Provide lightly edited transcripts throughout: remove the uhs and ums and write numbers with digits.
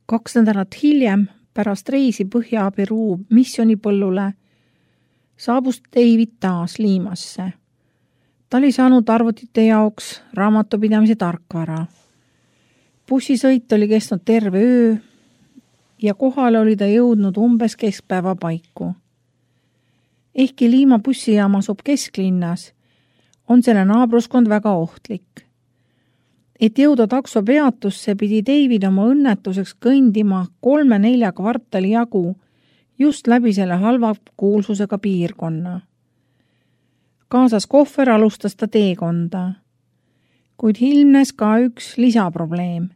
2 nädalat hiljem, pärast reisi Põhja-Peruu missionipõllule, saabus David taas Limasse. Ta oli saanud arvutite jaoks raamatupidamise tarkvara. Bussisõit oli kestnud terve öö ja kohale oli ta jõudnud umbes keskpäeva paiku. Ehkki Lima bussijaam asub kesklinnas, on selle naabruskond väga ohtlik. Et jõuda takso peatusse, pidi David oma õnnetuseks kõndima 3-4 kvartali jagu just läbi selle halva kuulsusega piirkonna. Kaasas kohver alustas ta teekonda, kuid ilmnes ka üks lisaprobleem.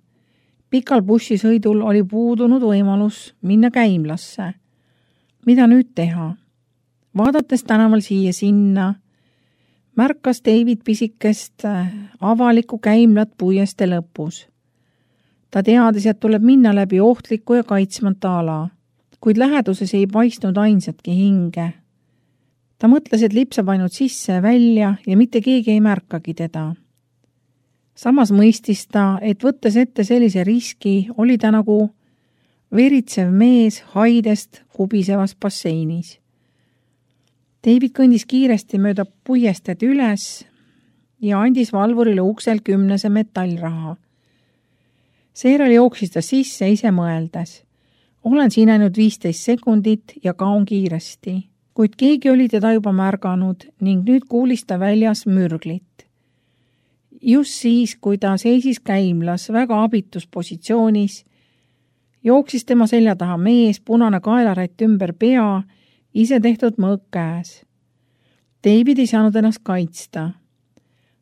Pikal bussisõidul oli puudunud võimalus minna käimlasse. Mida nüüd teha? Vaadates tänaval siia-sinna, märkas David pisikest avalikku käimlat puieste lõpus. Ta teadis, et tuleb minna läbi ohtliku ja kaitsmata ala, kuid läheduses ei paistnud ainsatki hinge. Ta mõtles, et lipsab ainult sisse ja välja ja mitte keegi ei märkagi teda. Samas mõistis ta, et võttes ette sellise riski, oli ta nagu veritsev mees haidest kubisevas basseinis. David kõndis kiiresti mööda puiested üles ja andis valvurile uksel 10 metallraha. Seejärel jooksis ta sisse ise mõeldes. Olen siin ainult 15 sekundit ja kaon kiiresti, kuid keegi oli teda juba märganud ning nüüd kuulis ta väljas mürglit. Just siis, kui ta seisis käimlas väga abitus positsioonis, jooksis tema selja taha mees, punane kaelarätt ümber pea, ise tehtud mõõk käes. David ei saanud ennast kaitsta.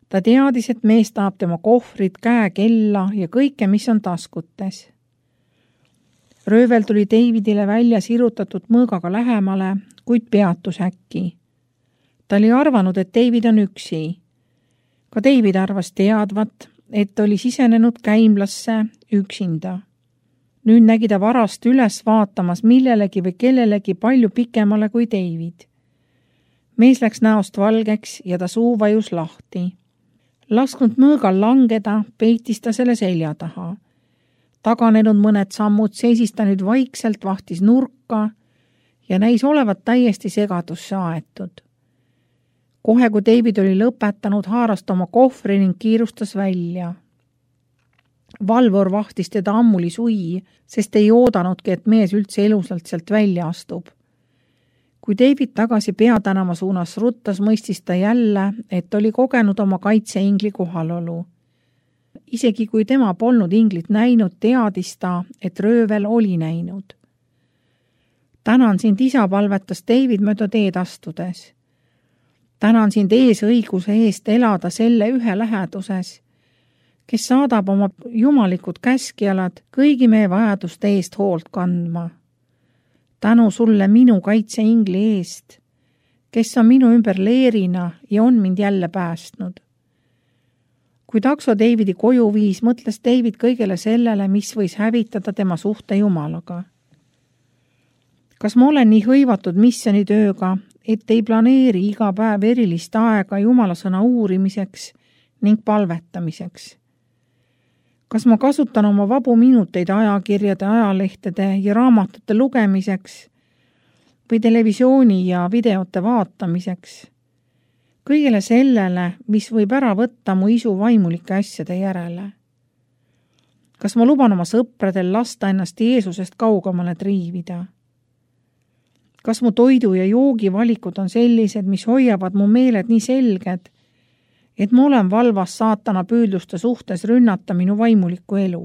Ta teadis, et mees tahab tema kohvrit, käekella ja kõike, mis on taskutes. Röövel tuli Davidile välja sirutatud mõõgaga lähemale, kuid peatus äkki. Ta oli arvanud, et David on üksi. Ka David arvas teadvat, et oli sisenenud käimlasse üksinda. Nüüd nägi ta varast üles vaatamas millelegi või kellelegi palju pikemale kui David. Mees läks näost valgeks ja ta suu vajus lahti. Lasknud mõõgal langeda, peitis ta selle selja taha. Taganenud mõned sammud seisis ta nüüd vaikselt, vahtis nurka ja näis olevat täiesti segadusse aetud. Kohe, kui David oli lõpetanud, haaras ta oma kohvri ning kiirustas välja. Valvur vahtis teda ammuli sui, sest ei oodanudki, et mees üldse elusalt sealt välja astub. Kui David tagasi Peatänava suunas ruttas, mõistis ta jälle, et oli kogenud oma kaitseingli kohalolu. Isegi kui tema polnud inglit näinud, teadis ta, et röövel oli näinud. Tänan sind, isa, palvetas David mööda teed astudes. Tänan sind eesõiguse eest elada selle ühe läheduses, kes saadab oma jumalikud käskjalad kõigi meie vajaduste eest hoolt kandma. Tänu sulle minu kaitseingli eest, kes on minu ümber leerina ja on mind jälle päästnud. Kui takso Davidi koju viis, mõtles David kõigele sellele, mis võis hävitada tema suhte Jumalaga. Kas ma olen nii hõivatud missionitööga, et ei planeeri iga päev erilist aega Jumala sõna uurimiseks ning palvetamiseks? Kas ma kasutan oma vabu minuteid ajakirjade, ajalehtede ja raamatute lugemiseks või televisiooni ja videote vaatamiseks? Kõigele sellele, mis võib ära võtta mu isu vaimulike asjade järele. Kas ma luban oma sõpradel lasta ennast Jeesusest kaugemale triivida? Kas mu toidu ja joogivalikud on sellised, mis hoiavad mu meeled nii selged, et ma olen valvas saatana püüdluste suhtes rünnata minu vaimulikku elu?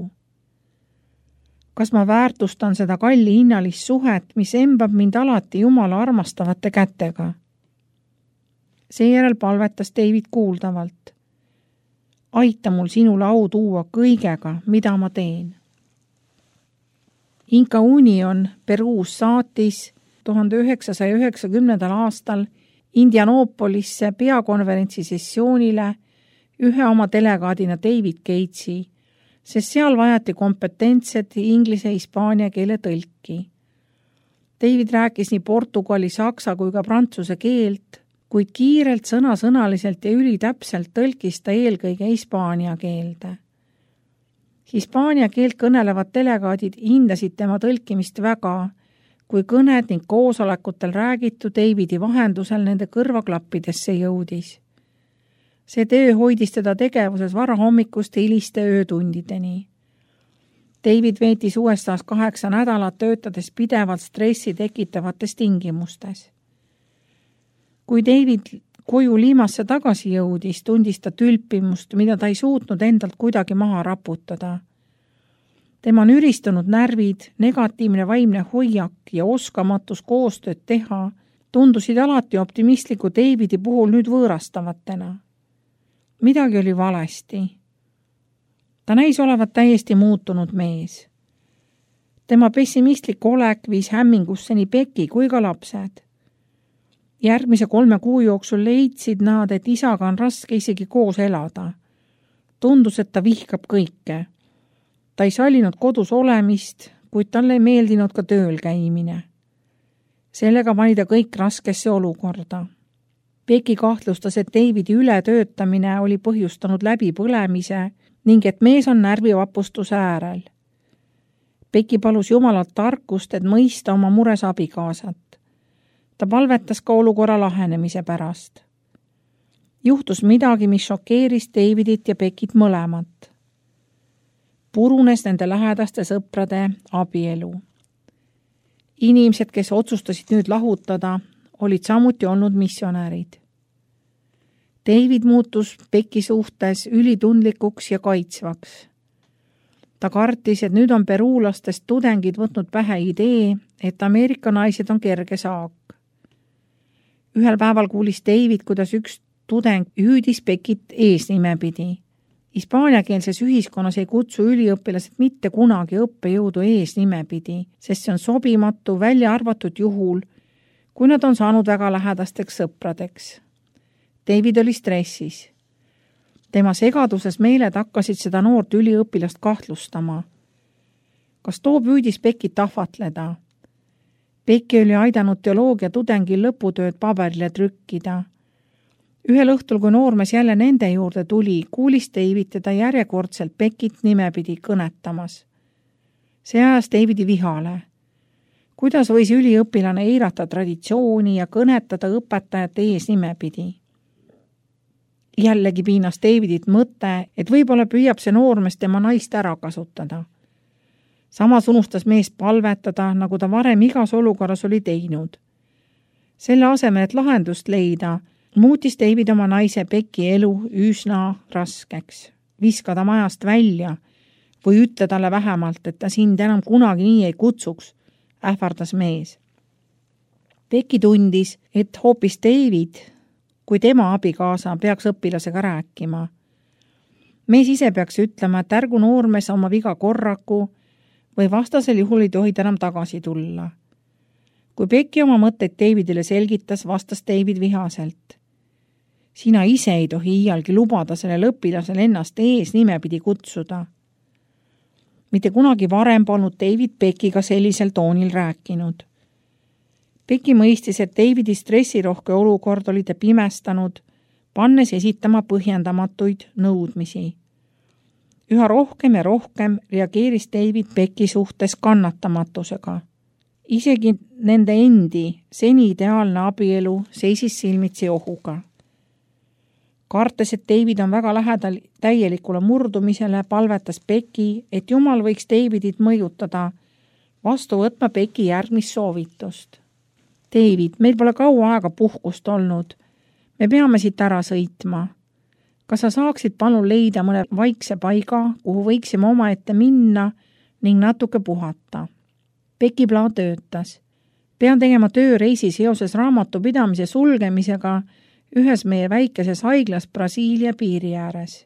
Kas ma väärtustan seda kalli hinnalist suhet, mis embab mind alati Jumala armastavate kätega? Seejärel palvetas David kuuldavalt. Aita mul sinule au tuua kõigega, mida ma teen. Inca Union Peruus saatis 1990. aastal Indianoopolisse peakonverentsi sessioonile ühe oma delegaadina David Gatesi, sest seal vajati kompetentset inglise ja hispaania keele tõlki. David rääkis nii portugali, saksa kui ka prantsuse keelt, kuid kiirelt, sõnasõnaliselt ja ülitäpselt tõlkis ta eelkõige hispaania keelde. Hispaania keelt kõnelevad delegaadid hindasid tema tõlkimist väga, kui kõned ning koosolekutel räägitu Davidi vahendusel nende kõrvaklappidesse jõudis. See töö hoidis teda tegevuses varahommikuste hiliste öötundideni. David veetis USAs 8 nädalat töötades pidevalt stressi tekitavates tingimustes. Kui David koju Limasse tagasi jõudis, tundis ta tülpimust, mida ta ei suutnud endalt kuidagi maha raputada. Tema nüristunud närvid, negatiivne vaimne hoiak ja oskamatus koostööd teha tundusid alati optimistliku Davidi puhul nüüd võõrastavatena. Midagi oli valesti. Ta näis olevat täiesti muutunud mees. Tema pessimistlik olek viis hämmingusse nii Becky kui ka lapsed. Järgmise 3 kuu jooksul leidsid nad, et isaga on raske isegi koos elada. Tundus, et ta vihkab kõike. Ta ei sallinud kodus olemist, kuid talle ei meeldinud ka tööl käimine. Sellega pani ta kõik raskesse olukorda. Becky kahtlustas, et Davidi ületöötamine oli põhjustanud läbipõlemise ning et mees on närvivapustuse äärel. Becky palus Jumalalt tarkust, et mõista oma mures abikaasat. Ta palvetas ka olukorra lahenemise pärast. Juhtus midagi, mis šokeeris Davidit ja Beckit mõlemat. Purunes nende lähedaste sõprade abielu. Inimesed, kes otsustasid nüüd lahutada, olid samuti olnud missionäärid. David muutus Becky suhtes ülitundlikuks ja kaitsvaks. Ta kartis, et nüüd on peruulastest tudengid võtnud pähe idee, et Ameerika naised on kerge saak. Ühel päeval kuulis David, kuidas üks tudeng hüüdis Beckit eesnimepidi. Hispaaniakeelses ühiskonnas ei kutsu üliõpilased mitte kunagi õppejõudu eesnimepidi, sest see on sobimatu, välja arvatud juhul, kui nad on saanud väga lähedasteks sõpradeks. David oli stressis. Tema segaduses meeled hakkasid seda noort üliõpilast kahtlustama. Kas too püüdis Beckit ahvatleda? Becky oli aidanud teoloogia tudengil lõputööd paberile trükkida. Ühel õhtul, kui noormees jälle nende juurde tuli, kuulis David teda järjekordselt Beckit nimepidi kõnetamas. See ajas Davidi vihale. Kuidas võis üliõpilane eirata traditsiooni ja kõnetada õpetajate ees nimepidi? Jällegi piinas Davidit mõte, et võib-olla püüab see noormees tema naist ära kasutada. Samas unustas mees palvetada, nagu ta varem igas olukorras oli teinud. Selle asemel, et lahendust leida, muutis David oma naise Becky elu üsna raskeks. Viska ta majast välja või ütle talle vähemalt, et ta sind enam kunagi nii ei kutsuks, ähvardas mees. Becky tundis, et hoopis David, kui tema abikaasa peaks õpilasega rääkima. Mees ise peaks ütlema, et ärgu noormees oma viga korraku või vastasel juhul ei tohi enam tagasi tulla. Kui Becky oma mõtteid Davidile selgitas, vastas David vihaselt. Sina ise ei tohi iialgi lubada sellel õpilasel ennast ees nimepidi kutsuda. Mitte kunagi varem polnud David Beckiga sellisel toonil rääkinud. Becky mõistis, et Davidi stressirohke olukord oli ta pimestanud, pannes esitama põhjendamatuid nõudmisi. Üha rohkem ja rohkem reageeris David Becky suhtes kannatamatusega. Isegi nende endi seni ideaalne abielu seisis silmitsi ohuga. Kartes, et David on väga lähedal täielikule murdumisele, palvetas Becky, et Jumal võiks Davidit mõjutada, vastu võtma Becky järgmist soovitust. David, meil pole kaua aega puhkust olnud. Me peame siit ära sõitma. Kas sa saaksid palun leida mõne vaikse paiga, kuhu võiksime omaette minna ning natuke puhata? Becky plaan töötas. Pean tegema tööreisi seoses raamatupidamise sulgemisega ühes meie väikeses haiglas Brasiilia piiri ääres.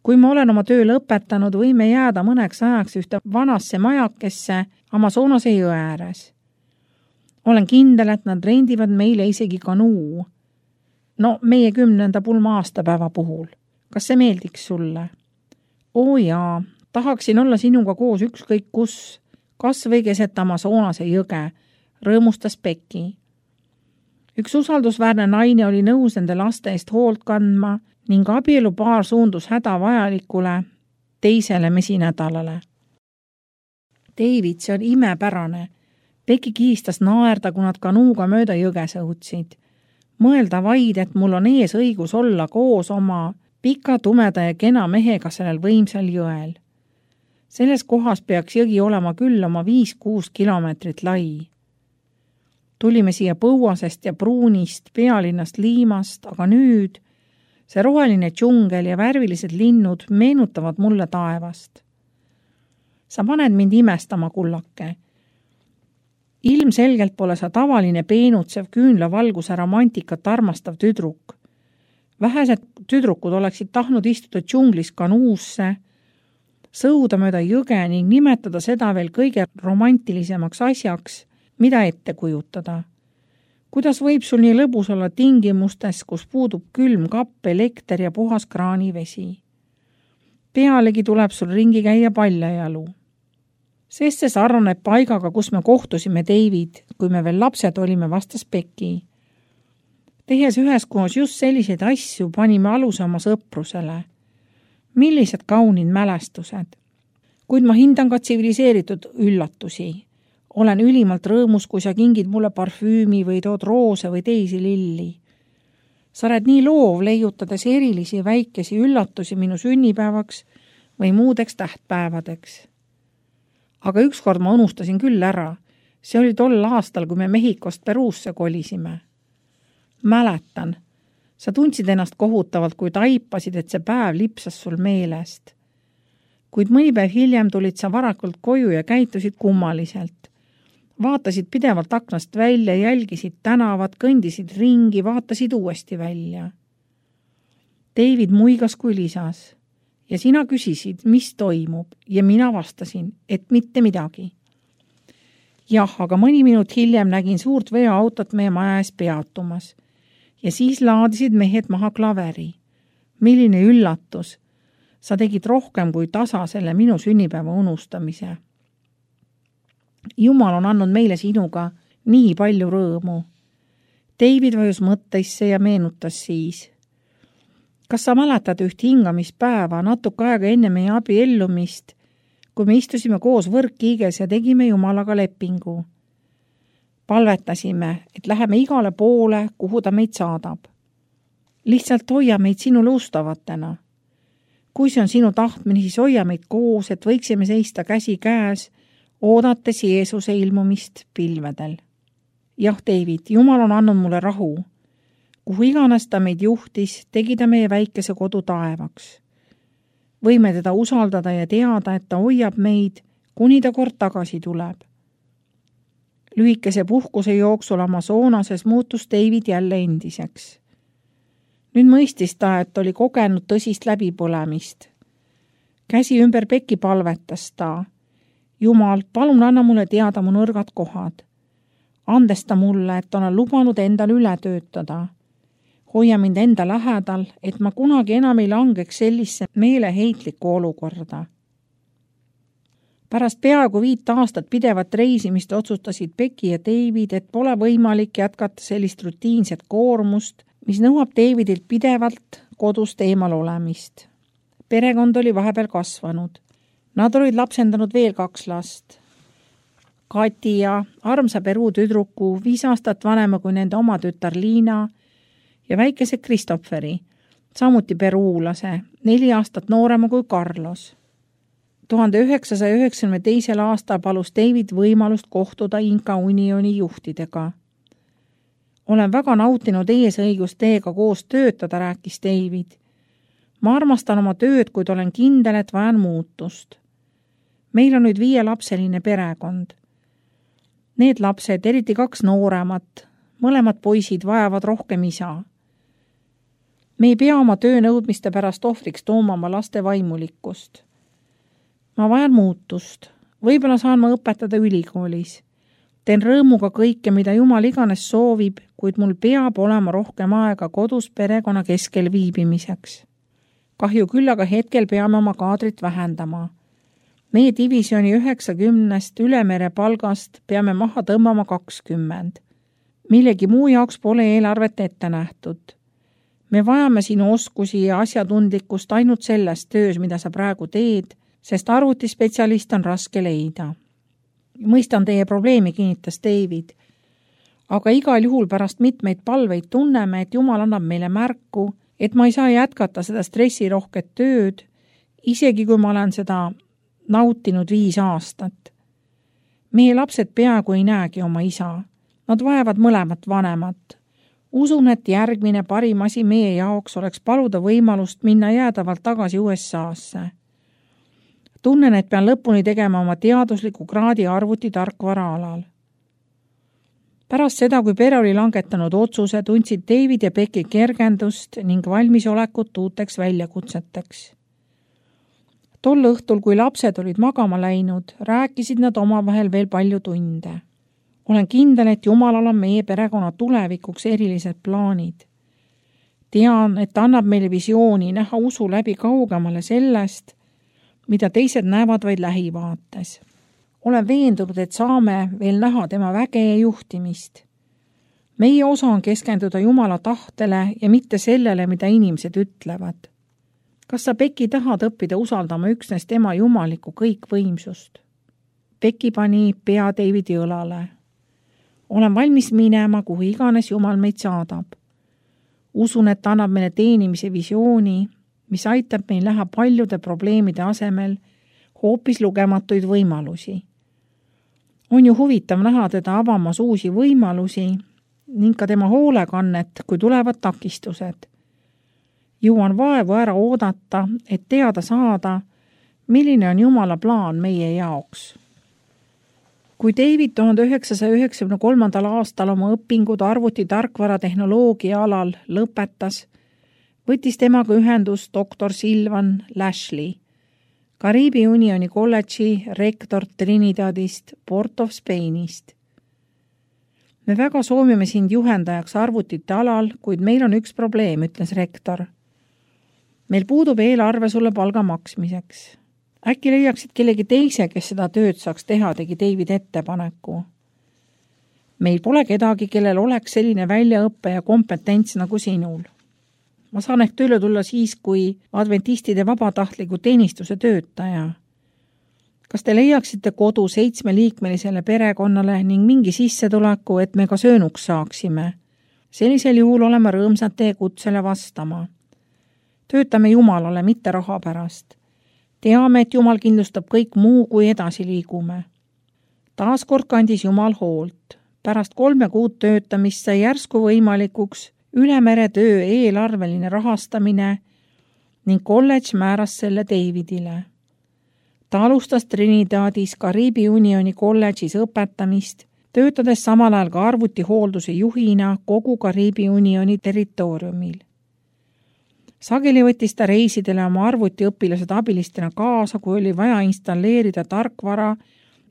Kui ma olen oma töö lõpetanud, võime jääda mõneks ajaks ühte vanasse majakesse Amazonase jõe ääres. Olen kindel, et nad rendivad meile isegi kanuu. No, meie 10. pulma aastapäeva puhul. Kas see meeldiks sulle? Oo jaa, tahaksin olla sinuga koos ükskõik kus, kas või keset Amazonase jõge, rõõmustas Becky. Üks usaldusväärne naine oli nõus nende laste eest hoolt kandma ning abielupaar suundus hädavajalikule, teisele mesinädalale. David, see on imepärane. Becky kihistas naerda, kui nad kanuuga mööda jõge sõudsid. Mõelda vaid, et mul on ees õigus olla koos oma pika, tumeda ja kena mehega sellel võimsal jõel. Selles kohas peaks jõgi olema küll oma 5-6 kilomeetrit lai. Tulime siia Põuasest ja Pruunist, pealinnast Liimast, aga nüüd see roheline džungel ja värvilised linnud meenutavad mulle taevast. Sa paned mind imestama, kullake. Ilmselgelt pole sa tavaline peenutsev küünlavalguse romantikat armastav tüdruk. Vähesed tüdrukud oleksid tahtnud istuda džunglis kanuusse, sõuda mööda jõge ning nimetada seda veel kõige romantilisemaks asjaks, mida ette kujutada. Kuidas võib sul nii lõbus olla tingimustes, kus puudub külm kapp, elekter ja puhas kraanivesi? Pealegi tuleb sul ringi käia paljajalu. Sest see sarnaneb paigaga, kus me kohtusime David, kui me veel lapsed olime, vastas Becky. Tehes üheskoos just selliseid asju panime aluse oma sõprusele. Millised kaunid mälestused. Kuid ma hindan ka tsiviliseeritud üllatusi. Olen ülimalt rõõmus, kui sa kingid mulle parfüümi või tood roose või teisi lilli. Sa oled nii loov, leiutades erilisi väikesi üllatusi minu sünnipäevaks või muudeks tähtpäevadeks. Aga ükskord ma unustasin küll ära. See oli tol aastal, kui me Mehhikost Peruusse kolisime. Mäletan. Sa tundsid ennast kohutavalt, kui taipasid, et see päev lipsas sul meelest. Kuid mõni päev hiljem tulid sa varakult koju ja käitusid kummaliselt. Vaatasid pidevalt aknast välja, jälgisid tänavat, kõndisid ringi, vaatasid uuesti välja. David muigas kui lisas. Ja sina küsisid, mis toimub, ja mina vastasin, et mitte midagi. Jah, aga mõni minut hiljem nägin suurt veoautot meie maja ees peatumas. Ja siis laadisid mehed maha klaveri. Milline üllatus! Sa tegid rohkem kui tasa selle minu sünnipäeva unustamise. Jumal on andnud meile sinuga nii palju rõõmu. David vajus mõtteisse ja meenutas siis. Kas sa mäletad üht hingamispäeva natuke aega enne meie abiellumist, kui me istusime koos võrkkiiges ja tegime Jumalaga lepingu? Palvetasime, et läheme igale poole, kuhu ta meid saadab. Lihtsalt hoia meid sinule ustavatena. Kui see on sinu tahtmine, siis hoia meid koos, et võiksime seista käsi käes, oodates Jeesuse ilmumist pilvedel. Jah, David, Jumal on andnud mulle rahu. Kuhu iganes ta meid juhtis, tegi ta meie väikese kodu taevaks. Võime teda usaldada ja teada, et ta hoiab meid, kuni ta kord tagasi tuleb. Lühikese puhkuse jooksul Amazonases muutus David jälle endiseks. Nüüd mõistis ta, et oli kogenud tõsist läbipõlemist. Käsi ümber Becky palvetas ta. Jumal, palun anna mulle teada mu nõrgad kohad. Andesta mulle, et olen lubanud endal üle töötada. Hoia mind enda lähedal, et ma kunagi enam ei langeks sellisse meeleheitlikku olukorda. Pärast peaaegu 5 aastat pidevat reisimist otsustasid Becky ja David, et pole võimalik jätkata sellist rutiinset koormust, mis nõuab Davidilt pidevalt kodust eemal olemist. Perekond oli vahepeal kasvanud. Nad olid lapsendanud veel 2 last. Kati ja armsa Peruu tüdruku 5 aastat vanema kui nende oma tütar Liina ja väikese Kristofferi, samuti peruulase, 4 aastat noorema kui Carlos. 1992. aastal palus David võimalust kohtuda Inka Unioni juhtidega. Olen väga nautinud eesõigust teiega koos töötada, rääkis David. Ma armastan oma tööd, kuid olen kindel, et vajan muutust. Meil on nüüd 5-lapseline perekond. Need lapsed, eriti 2 nooremat, mõlemad poisid vajavad rohkem isa. Me ei pea oma töönõudmiste pärast ohvriks tooma oma laste vaimulikkust. Ma vajan muutust. Võib-olla saan ma õpetada ülikoolis. Teen rõõmuga kõike, mida Jumal iganes soovib, kuid mul peab olema rohkem aega kodus perekonna keskel viibimiseks. Kahju küll, aga hetkel peame oma kaadrit vähendama. Meie divisjoni 90 ülemere palgast peame maha tõmbama 20. Millegi muu jaoks pole eelarvet ette nähtud. Me vajame sinu oskusi ja asjatundlikkust ainult selles töös, mida sa praegu teed, sest arvutispetsialist on raske leida. Mõistan teie probleemi, kinnitas David. Aga igal juhul pärast mitmeid palveid tunneme, et Jumal annab meile märku, et ma ei saa jätkata seda stressirohket tööd, isegi kui ma olen seda nautinud 5 aastat. Meie lapsed peaaegu ei näegi oma isa. Nad vajavad mõlemat vanemat. Usun, et järgmine parim asi meie jaoks oleks paluda võimalust minna jäädavalt tagasi USA-sse. Tunnen, et pean lõpuni tegema oma teadusliku kraadi arvutitarkvara alal. Pärast seda, kui pere oli langetanud otsuse, tundsid David ja Becky kergendust ning valmisolekut uuteks väljakutseteks. Tol õhtul, kui lapsed olid magama läinud, rääkisid nad omavahel veel palju tunde. Olen kindel, et Jumalal on meie perekonna tulevikuks erilised plaanid. Tean, et annab meile visiooni näha usu läbi kaugemale sellest, mida teised näevad vaid lähivaates. Olen veendunud, et saame veel näha tema väge ja juhtimist. Meie osa on keskenduda Jumala tahtele ja mitte sellele, mida inimesed ütlevad. Kas sa, Becky, tahad õppida usaldama üksnes tema jumalikku kõikvõimsust? Becky pani pea Davidi õlale. Olen valmis minema, kuhu iganes Jumal meid saadab. Usun, et annab meile teenimise visiooni, mis aitab meil näha paljude probleemide asemel hoopis lugematuid võimalusi. On ju huvitav näha teda avamas uusi võimalusi ning ka tema hoolekannet, kui tulevad takistused. Jõuan vaevu ära oodata, et teada saada, milline on Jumala plaan meie jaoks. Kui David 1993. aastal oma õpingud arvutitarkvaratehnoloogia alal lõpetas, võttis temaga ühendus doktor Silvan Lashley, Kariibi Unioni kolledži rektor Trinidadist, Port of Spainist. Me väga soovime sind juhendajaks arvutite alal, kuid meil on üks probleem, ütles rektor. Meil puudub eelarve sulle palga maksmiseks. Äkki leiaksid kellegi teise, kes seda tööd saaks teha, tegi David ettepaneku. Meil pole kedagi, kellel oleks selline väljaõppe ja kompetents nagu sinul. Ma saan ehk tööle tulla siis, kui adventistide vabatahtliku teenistuse töötaja. Kas te leiaksite kodu 7-liikmelisele perekonnale ning mingi sissetuleku, et me ka söönuks saaksime? Sellisel juhul oleme rõõmsad teie kutsele vastama. Töötame Jumalale, mitte raha pärast. Teame, et Jumal kindlustab kõik muu, kui edasi liigume. Taaskord kandis Jumal hoolt. Pärast 3 kuud töötamist sai järsku võimalikuks ülemeretöö eelarveline rahastamine ning kolledž määras selle Davidile. Ta alustas Trinidadis Kariibi Unioni kolledžis õpetamist, töötades samal ajal ka arvutihoolduse juhina kogu Kariibi Unioni territooriumil. Sageli võttis ta reisidele oma arvutiõpilased abilistena kaasa, kui oli vaja installeerida tarkvara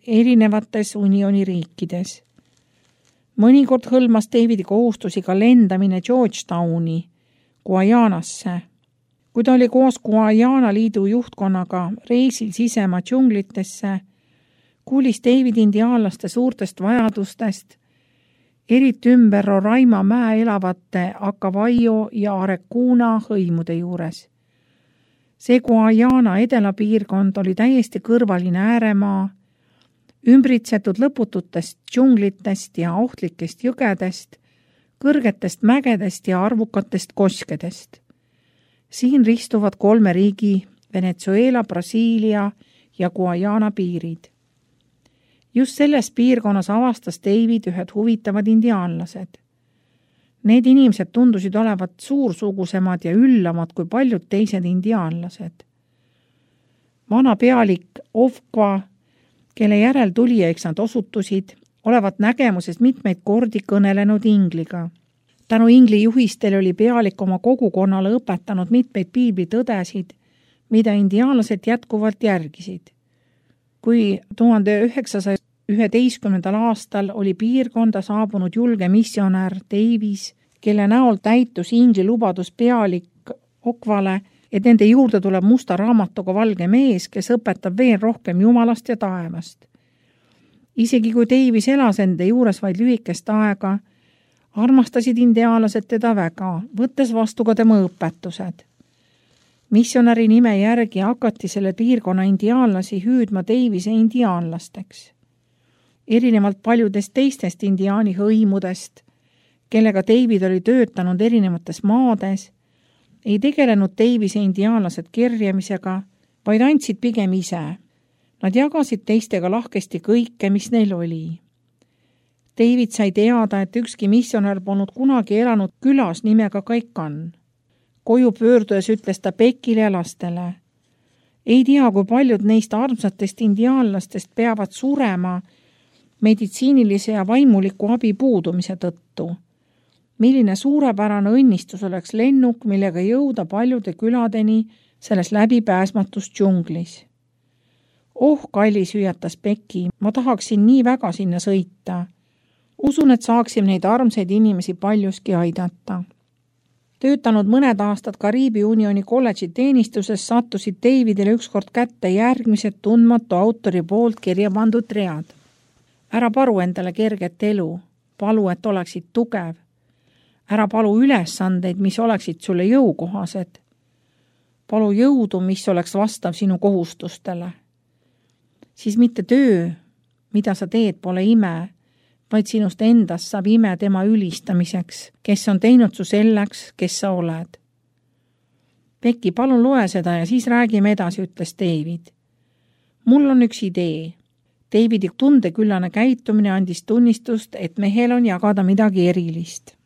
erinevates unioni riikides. Mõnikord hõlmas Davidi kohustusi ka lendamine Georgetowni, Guajanasse. Kui ta oli koos Guajana liidu juhtkonnaga reisil sisemaa džunglitesse, kuulis David indiaanlaste suurtest vajadustest, eriti ümber Roraima mäe elavate Acavaio ja Arecuna hõimude juures. See Guajana edelapiirkond oli täiesti kõrvaline ääremaa, ümbritsetud lõpututest džunglitest ja ohtlikest jõgedest, kõrgetest mägedest ja arvukatest koskedest. Siin ristuvad 3 riigi, Venezuela, Brasiilia ja Guajana piirid. Just selles piirkonnas avastas David ühed huvitavad indiaanlased. Need inimesed tundusid olevat suursugusemad ja üllamad kui paljud teised indiaanlased. Vana pealik Ovkva, kelle järel tulijaiks nad osutusid, olevat nägemuses mitmeid kordi kõnelenud ingliga. Tänu ingli juhistele oli pealik oma kogukonnale õpetanud mitmeid piiblitõdesid, mida indiaanlased jätkuvalt järgisid. Kui 1911. aastal oli piirkonda saabunud julge missionär Davis, kelle näol täitus ingli lubadus pealik Okvale, et nende juurde tuleb musta raamatuga valge mees, kes õpetab veel rohkem Jumalast ja taevast. Isegi kui Davis elas enda juures vaid lühikest aega, Armastasid indiaanlased teda väga, võttes vastu ka tema õpetused. Missionäri nime järgi hakati selle piirkonna indiaanlasi hüüdma Davise indiaanlasteks. Erinevalt paljudest teistest indiaani hõimudest, kellega David oli töötanud erinevates maades, ei tegelenud Davise indiaanlased kerjamisega, vaid andsid pigem ise. Nad jagasid teistega lahkesti kõike, mis neil oli. David sai teada, et ükski missionär polnud kunagi elanud külas nimega Kaikan. Koju pöördudes ütles ta Beckile ja lastele. Ei tea, kui paljud neist armsatest indiaanlastest peavad surema meditsiinilise ja vaimuliku abi puudumise tõttu. Milline suurepärane õnnistus oleks lennuk, millega jõuda paljude küladeni selles läbipääsmatus džunglis. Oh, kallis, hüüatas Becky, ma tahaksin nii väga sinna sõita. Usun, et saaksime neid armsaid inimesi paljuski aidata. Töötanud mõned aastad Kariibi Unioni kolledži teenistuses sattusid Davidile ükskord kätte järgmised tundmatu autori poolt kirja pandud read. Ära palu endale kerget elu, palu, et oleksid tugev. Ära palu ülesandeid, mis oleksid sulle jõukohased. Palu jõudu, mis oleks vastav sinu kohustustele. Siis mitte töö, mida sa teed, pole ime, vaid sinust endast saab ime tema ülistamiseks, kes on teinud su selleks, kes sa oled. Becky, palun loe seda ja siis räägime edasi, ütles David. Mul on üks idee. Davidi tundeküllane käitumine andis tunnistust, et mehel on jagada midagi erilist.